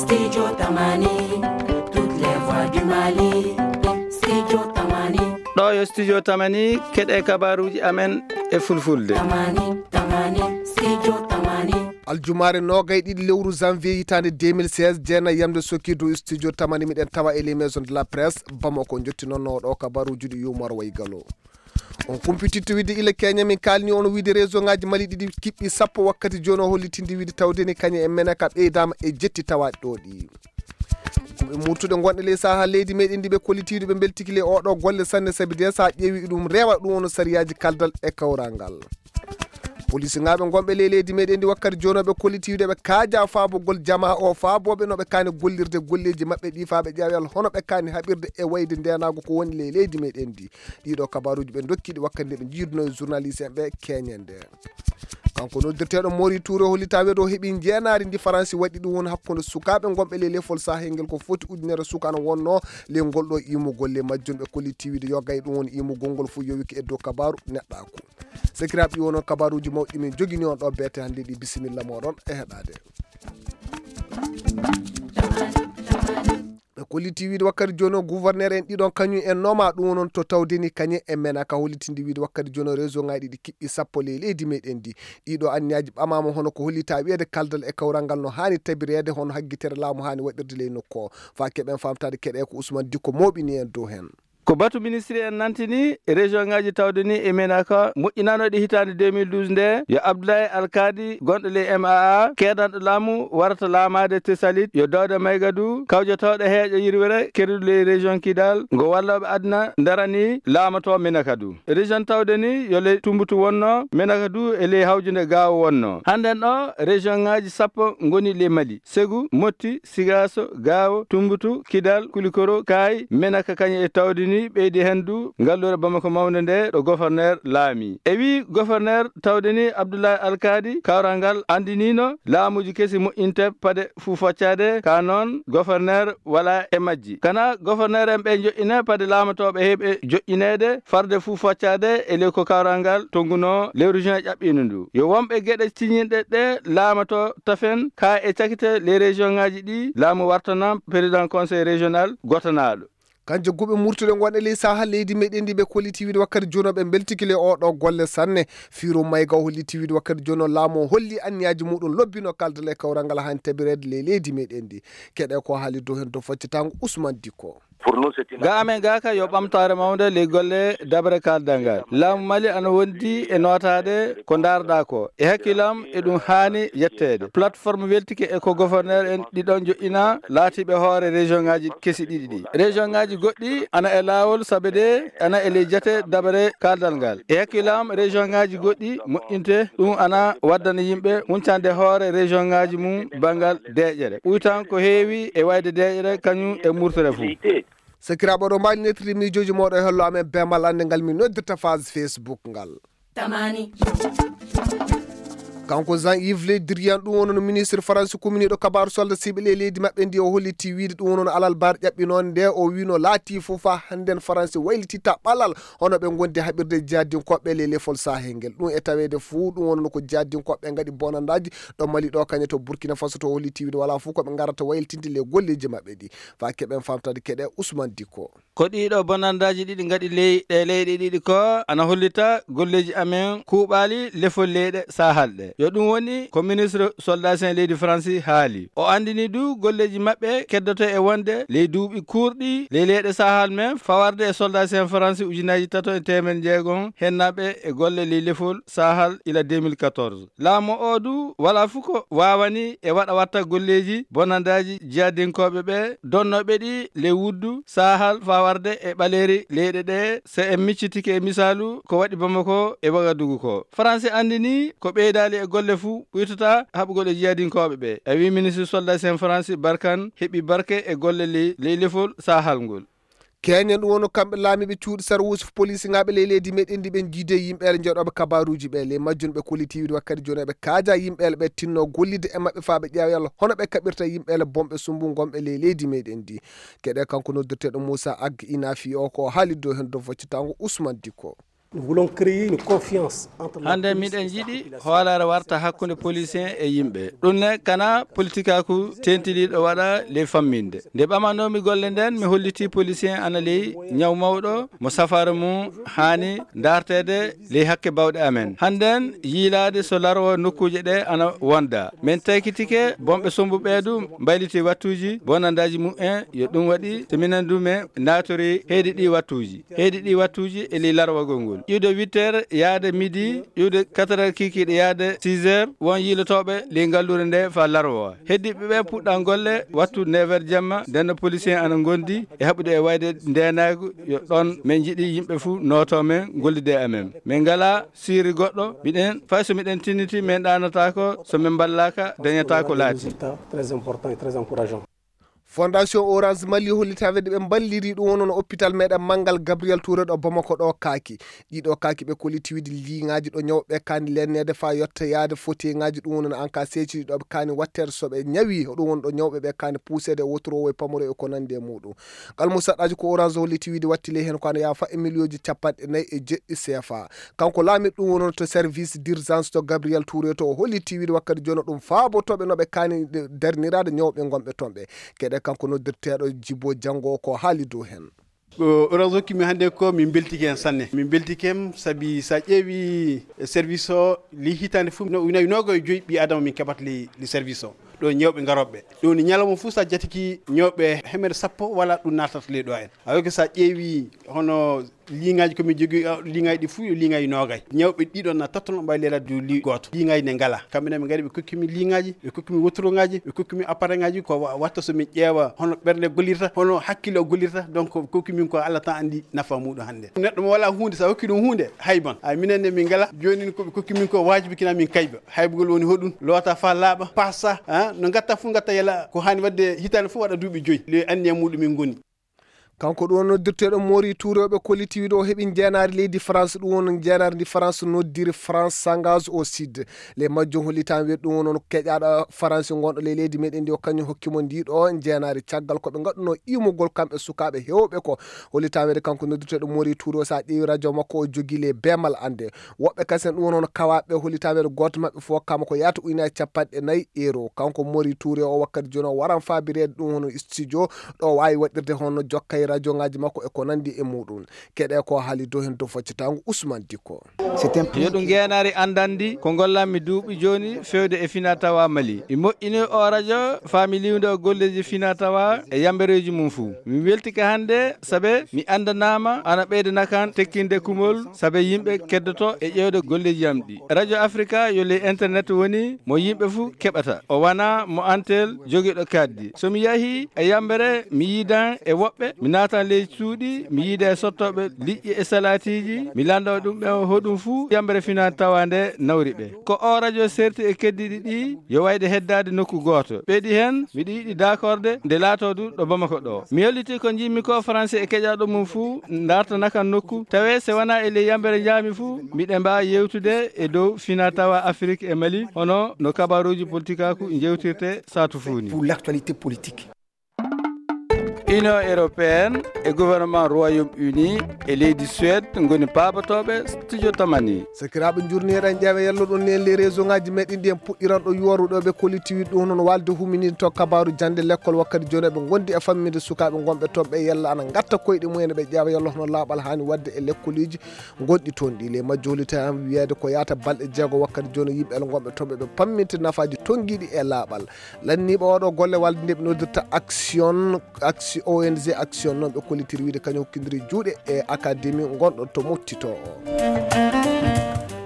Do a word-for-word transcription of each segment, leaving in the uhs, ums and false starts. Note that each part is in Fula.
Studio Tamani, toutes les voix du Mali. Studio Tamani. Ɗo yo Studio Tamani, keɗe kabaruuji amen e fulfulde. Tamani, Tamani, Studio Tamani. Aljumaare noogay ɗiɗi lewru janvier hitaande deux mille seize, jeena yamde sokki dow Studio Tamani, miɗen tawa e les maisons de la presse Bamako. Jotti noon no ɗo kabaruuji ɗi yumor way galo. On kumpititte wiide ila Kenya, min kaalni on wiide région ngaji Mali ɗiɗi kiɓɓi sappo wakkati jooni o hollitindi wiide tawde ni kañe e Menaka ɓeydaama e jetti tawaaɗi ɗo ɗi. Ko ɓe murtuɗe gonɗe ley saha leydi meɗen ndi ɓe kollitiiɗo ɓe mbeltiki ley oɗo golle sanne sabi de sa ƴeewi ɗum rewa ɗum wono sariyaaji kaldal e kawral ngal. Polisingaɓe gonɓe ley leydi meɗen ndi wakkati jooni ɓe kollitiiɗo ɓe kaaja faabogol jama o faabooɓe no ɓe kaani gollirde golleeji maɓɓe ɗi faa ɓe ƴeewal hono ɓe kaani haɓirde e wayde ndenaago ko woni ley leydi meɗen ndi. Ɗiɗo kabaruuji ɓe ndokki ɗi wakkati nde ɓe njiiduno e journaliste en ɓe keñen nde. Kanko noddirteeɗo Mori Touré hollita weedo heɓi njeenaari ndi Faransi waɗi ɗum woni hakkunde sukaaɓe gonɓe ley lefol sahel ngel ko foti ujunere suka no wonno ley ngol ɗo imugol ley majjum ɓe kolliti wiide yogay ɗum woni imugol ngol fof yowiki e dow kabaru neɗɗaaku. Sekiraaɓe ɗi wono kabaruuji mawɗi min jogini on ɗo beete hannde ɗi bisimilla moɗon e heɗaade. Ɓe kolliti wiide wakkati jooni o gouverneur en ɗiɗon kañum en nooma ɗum wonon to tawdeni kañe e mena ka hollitindi wiide wakkati jooni o région ngaji ɗiɗi kiɓɓi sappo ley leydi meɗen ndi. Ɗiɗo anniyaji ɓamama hono ko hollita wiyeede kaldal e kawral ngal no hani tabireede hono haggitere laamu hani waɗirde ley nokku o. Fa keɓen famtade keɗe ko Ousmane Dikko moɓini en dow hen. Ko batu ministre en nantini région ngaji tawde ni e menaka moƴƴinanoɗe hitande deux mille douze nde yo Abdoulaye Alkadi gonɗo ley M A A keedanɗo laamu warata laamaade Tessalit yo Dawda Maygadu kawjotoɗo heeƴo yirwere keruɗo ley région Kidal ngo walloɓe aduna darani laamato menaka du. Région tawde ni yo ley Tumbutu wonno, menaka du e ley hawjunde Gaawo wonno. Hannden ɗo région ngaji sappo ngoni ley Mali. Segu, Motti, Sigaaso, Gaawo, Tummbutu, Kidal, Kulikoro, Kaay, Menaka kañe e tawde ni ɓeydi heen du ngalluure Bamako mawnde nde ɗo goforneer laami. E wii goforneer tawde ni Abdullahi Alkaadi kawral ngal anndiniino laamuuji kesi moƴƴinte pade fuu faccaade ka noon goforneer wala e majji. Kana goforneer en ɓe joƴƴine pade laamotooɓe heɓe joƴƴineede farde fuu faccaade e ley ko kawral ngal tonngunoo lewru juin ƴaɓɓiino ndu. Yo wonɓe geɗe ciñinɗe ɗe laamato tafen ka e cakite les région ngaji ɗi laamu wartana président conseil régional gotanaaɗo. Kanje guɓe murtuɗe gonɗe ley saha leydi meɗen ndi ɓe kolliti wiide wakkati jono ɓe mbeltiki le oɗo golle sanne. Firo mayga o holliti wiide wakkati jono laamu o holli anniyaji muɗum lobbino kaldal e kawral ngal hani tabireede ley leydi meɗen ndi. Keɗe ko haali dow hen to faccitango Ousmane Dikko. Ga amen ga ka yo ɓamtaare mawnde ley golle dabre kaldal ngal. Laamu Mali ana wondi e nootaade ko ndaarɗaa ko. E hakkillam eɗum haani yetteede. Plateforme weltike e ko goforneer en ɗiɗon joƴƴina laatiiɓe hoore région ngaji kesi ɗiɗi ɗi. Région ngaji goɗɗi ana e laawol sabe de ana e ley jate dabre kaldal ngal. E hakkillam région ngaji goɗɗi moƴƴinte ɗum ana waddana yimɓe huncande hoore région ngaji mum banngal deeƴere. Ɓuytan ko heewi e wayde deeƴere kañum e murtere fuu. Sakiraaɓe, oɗo mbaali nettiri miijooji mooɗo e hello amen bemal annde ngal min noddirta phase Facebook ngal. Tamani. Kanko Jean Yves Le Drian ɗum wonno ministre faransi kuminiiɗo kabaaru solda siɓe ley leydi maɓɓe ndi o holliti wiide ɗum wonno alal bar ƴaɓɓinoon nde o wino laati fof fa hannden faransi waylititta ɓalal hono ɓe gondi haɓirde jihadinkoɓe ley lefol sahel ngel ɗum e taweede fuu ɗum wonno ko jihadinkoɓe ngaɗi bonandaji ɗo Mali ɗo kañe to Burkina Faso to holliti wiide wala fof koɓe ngarata waylitinde ley golleji maɓɓe ɗi. Fa keɓen famtade keɗe Ousmane Dikko. Ko ɗiɗo bonandaaji ɗiɗi ngaɗi ley ɗe leyɗe ɗiɗi ko ana hollita golleeji amen kuuɓaali lefol leyɗe Sahal ɗe. Yo ɗum woni ko ministre soldat sen leydi Faransi haali. O anndini du golleeji maɓɓe keddoto e wonde ley duuɓi kuurɗi ley leyɗe Sahal men fawarde e soldat sen Faransi ujunaaji tato e teemen jeegom hennaaɓe e golle ley lefol Sahal ila deux mille quatorze. Laamu o du wala fu ko waawani e waɗa watta golleeji bonandaaji jihadinkooɓe ɓe donnooɓe ɗi ley wuddu Sahal fawarde e ɓaleeri leyɗe ɗe, so en miccitike e misaalu ko waɗi Bamako e Wagadugu ko. Faransi anndini ko ɓeydaali e golle fuu ɓuytata haɓugol e jihadinkooɓe ɓe. A wi ministre soldat sen Faransi Barkan heɓi barke e golle ley, ley lefol Sahal ngol. Keñen ɗum wonno kamɓe laamiiɓe cuuɗi sarwuusi polisingaɓe ley leydi meɗen ndi ɓe jiidi e yimɓeele jeeɗoɓe kabaruuji ɓe ley majjum ɓe kolliti wiide wakkati jooni eɓe kaaja yimɓeele ɓe tinno gollide e maɓɓe faa ɓe ƴeewa yalla hono ɓe kaɓirta yimɓeele bonɓe sumbu gonɓe ley leydi meɗen ndi. Keɗe kanko noddirteeɗo Moussa Ag Inafi o ko haalidde o heen dow faccitango Ousmane Dikko. Nous voulons créer une confiance entre la Hannde police miɗen et sa njiɗi population. Hoolaare warta hakkunde police en e yimɓe. Ɗum ne kana politikaaku teentiniiɗo waɗa ley famminde. Nde ɓamanoomi golle nden, mi hollitii police en ana ley ñaw mawɗo mo safaara mum haani ndaarteede ley hakke bawɗe amen. Hannden yiilaade so larwa nokkuuje ɗe ana wonda. Men taykitike bonɓe sombu ɓee du mbayliti wattuuji bonandaaji mumen yo ɗum waɗi so minen du men naatori heedi ɗi wattuuji. Heedi ɗi wattuuji e ley larwagol ngol. Iwde huit heures yaade midi, iwde quatre heures kiikiiɗe yaade six heures, won yiilotooɓe ley ngalluure nde faa larwa. Heddiiɓe ɓe puɗɗan golle wattu neuf heures jemma, nden no police en ana ngondi e haɓude e wayde ndeenaagu yo ɗon men njiɗi yimɓe fuu nootoo men, ngollidee e amen. Men ngalaa sirri goɗɗo, miɗen, fay so miɗen tinniti, men ɗaanataako, so men mballaaka, dañataa ko laati. Résultat très important et très encourageant. Fondation Orange Mali hollitaade ɓe mballiri ɗum wonno hôpital meɗen manngal Gabriel Touré ɗo Bamako ɗo kaaki. Ɗiɗo kaaki ɓe kolliti wiide liŋaaji ɗo ñawɓe kaani lenneede faa yotta yaade fotiŋaaji ɗum wonno an ka seeci ɗo ɓe kaani watteede so ɓe ñawi ɗum wonno ɗo ñawɓe ɓe kaani puuseede e wotoro e pamaro e ko nandi e muɗum. Ngal musaɗɗaaji ko Orange holliti wiide watti ley heen ko ana yaafa e miliyooji capanɗe nayi e jeɗɗi C F A. Kanko laamiɗo ɗum wonno to service d'urgence to Gabriel Touré to o holliti wiide wakkati jooni ɗum faabotooɓe no ɓe kaani darniraade ñawɓe ngonɓe toon ɓe. Keɗe kanko noddirteeɗo Jibo Janngo ko haali dow heen. Ko Orange hokkimi hannde ko min mbeltike heen sanne. Min mbeltike heen sabi so a ƴeewi service o ley hitaande fof no, no, noogayo e joyi ɓii Adama min keɓata ley, ley service o. Ɗo ñawɓe ngarooɓe. Ɗum woni ñalawma fof so a jatiki ñawɓe hemere sappo wala ɗum naatata ley ɗo en. A wayi ko so a ƴeewi hono liŋaaji ko min jogii, ah, liŋaaji ɗi fof yo liŋaaji noogay. Ñawɓe ɗiɗo na tattono mbawi leelaade dow li gooto. Liŋaaji ne ngala. Kamɓe ne ɓe ngari ɓe kokki min liŋaaji, ɓe kokki min wotorogaaji, ɓe kokki min appareilgaaji ko wa-, watta so min ƴeewa hono ɓernde gollirta, hono hakkille o gollirta. Donc kokki min ko Allah tan anndi nafa muɗum hannde. Neɗɗo mo wala huunde, so a hokki ɗum huunde, hayban. Ay minen ne min ngala. Jooni ko ɓe kokki min ko waajibi kina min kayba. Haybugol woni hoɗum, loota faa laaɓa, pasa, ah, no ngatta fof ngatta yala ko haani waɗde hitaande fof waɗa duuɓi joyi. Le anniya muɗum min ngoni. Kanko ɗum woni noddirteeɗo Mori Touré, ɓe kolliti wiide o heɓi njeenaari leydi France, ɗum woni njeenaari ndi France noddiri France s'engage au Sud. Le majjum hollitaama wiide ɗum woni keƴaaɗo France ngonɗo ley leydi meɗen ndi o kañum hokki mo ndi ɗo njeenaari caggal ko ɓe ngaɗuno iwmugol kamɓe sukaaɓe heewɓe ko. Hollitaama wiide kanko noddirteeɗo Mori Touré o, so a ƴeewi radio makko o jogii le beemal annde. Woɓɓe kasen ɗum woni hono kawaaɓe hollitaama wiide gooto maɓɓe fof hokkama ko yaata ujunaaji capanɗe nayi euro. Kanko Mori Touré o wakkati jooni o waran faabireede ɗum hono studio ɗo waawi waɗirde hono jokkay radiongaaji makko e ko nandi e muɗum. Keɗe ko haali dow heen dow foccitaango Ousmane Dicko. Yo ɗum ngeenaari anndanndi ko ngollanmi duuɓi jooni feewde e fina tawa Mali. Mi moƴƴini o radio faa mi liwndo golleeji fina tawa e yambereeji mum fuu. Mi weltike hannde sabe mi anndanaama ana ɓeyda nakan tekkinde kumol sabe yimɓe keddoto e ƴeewde golleeji am ɗi. Radio Africa yo ley internet woni mo yimɓe fuu keɓata. O wana mo antel jogiiɗo kaddi. So mi yahii e yambere, mi yiidan e woɓɓe, mi naatan ley cuuɗi, mi yiida e sottooɓe liƴƴi e salaatiiji, mi lannda ɗum ɓe hoɗum fuu yambere finaa tawa nde nawri ɓe. Ko o radio serti e keddiiɗi ɗi, yo wayde heddaade nokku gooto. Ɓeydi heen, miɗo yiɗi daakorde nde laatoo du ɗo Bamako ɗo. Mi hollitii ko njiɗmi ko Faransi e keƴaaɗo mum fuu ndartana kan nokku, tawee se wanaa e ley yambere njaami fuu, miɗen mbaawa yewtude e dow fina tawa Afrik e Mali, hono no kabaruuji politikaaku njewtirte saatu fuu ni. Pour l'actualité politique. Union européenne e gouvernement Royaume-Uni e leydi Suède ngoni paabotooɓe studio Tamani. Sakiraaɓe, njurniiɗen ƴeewa yalluɗon ni en les réseau ngaji meɗen ɗi en puɗɗiran ɗo yuwaruɗo ɓe kolliti wiɗɗo hono no walde humininde to kabaaru jande lekkol wakkati jooni ɓe gondi e famminde sukaaɓe gonɓe toon ɓe yalla ana ngatta koyɗe mumen ɓe ƴeewa yalla hono laaɓal haani wadde e lekkoliji gonɗi toon ɗi. Le majjo hollita wiyeede ko yaata balɗe jeego wakkati jooni yimɓe el gonɓe toon ɓe ɓe pamminte nafaaji tongiɗi e laaɓal. Lanniiɓe oɗo golle walde nde ɓe noddirta action, action, O N G action noon ɓe kollitiri wiide kañum hokkindiri juuɗe e académie gonɗo to mottito o.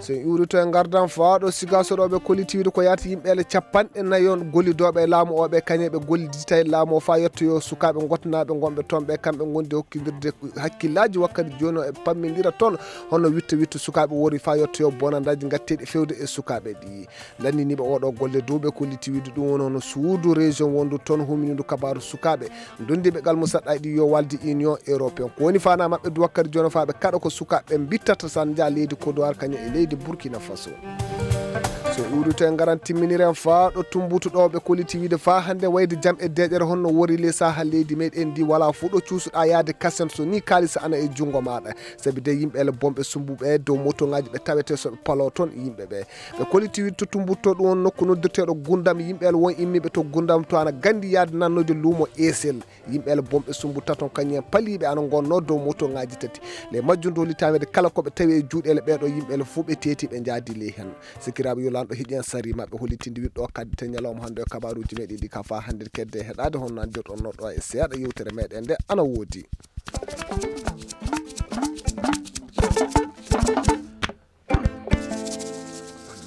So en iwrito e ngardan faaɗo sigaso ɗo ɓe kolliti wiide ko yaata yimɓe ele capanɗe nayi on gollidooɓe e laamu o ɓe kañe ɓe gollidita e laamu o faa yettoyo sukaaɓe gotnaaɓe gonɓe toon ɓe kamɓe gondi hokkindirde hakkillaaji wakkati jooni o e pammindira toon hono witta witta sukaaɓe wori faa yettoyo bonandaaji ngatteeɗi fewde e sukaaɓe ɗi. Lanndiniiɓe oɗo golle dow ɓe kolliti wiide ɗum woni hono suudu région wondu toon huminindu kabaaru sukaaɓe ndondiiɓe gal mo saɗɗa ɗi yo walde Union européen. Ko woni faanaa maɓɓe du wakkati jooni faa ɓe kaɗa ko sukaaɓe mbittata san njaa leydi Côte d'Ivoire kañum e leydi Burkina Faso. So uurito en ngaran timminiren faa ɗo Tumbutu ɗo ɓe koliti wiide faa hannde wayde jam e deeƴere honno wori ley saha leydi meɗen ndi wala fuu ɗo cuusuɗaa yaade kasen so ni kaalisa ana e junngo maaɗa. Sabi de yimɓe ele bonɓe sumbuɓe dow motoŋaaji ɓe tawete so ɓe paloo toon yimɓe ɓe. Ɓe koliti wiide to Tumbutu to ɗum won nokku noddirteeɗo Gundam yimɓe ele won immiiɓe to Gundam to ana gandi yaade nannoyde luumo Esel. Yimɓe ele bonɓe sumbu taton kañum en paliiɓe ana ngonnoo dow motoŋaaji tati. Ley majjum dow litameede kala ko ɓe tawi e juuɗeele ɓeeɗo yimɓe ele fuu ɓe teeti ɓe njaadi ley heen. Sikiraaɓe yo lanɗo hiɗi en sari maɓɓe hollitinde wiɗɗo kaddi te ñalawma hannde e kabaaruuji meɗen ɗi ka faa hannde kedde heɗaade honno anndirɗon noɗɗo e seeɗa yewtere meɗen nde ana woodi.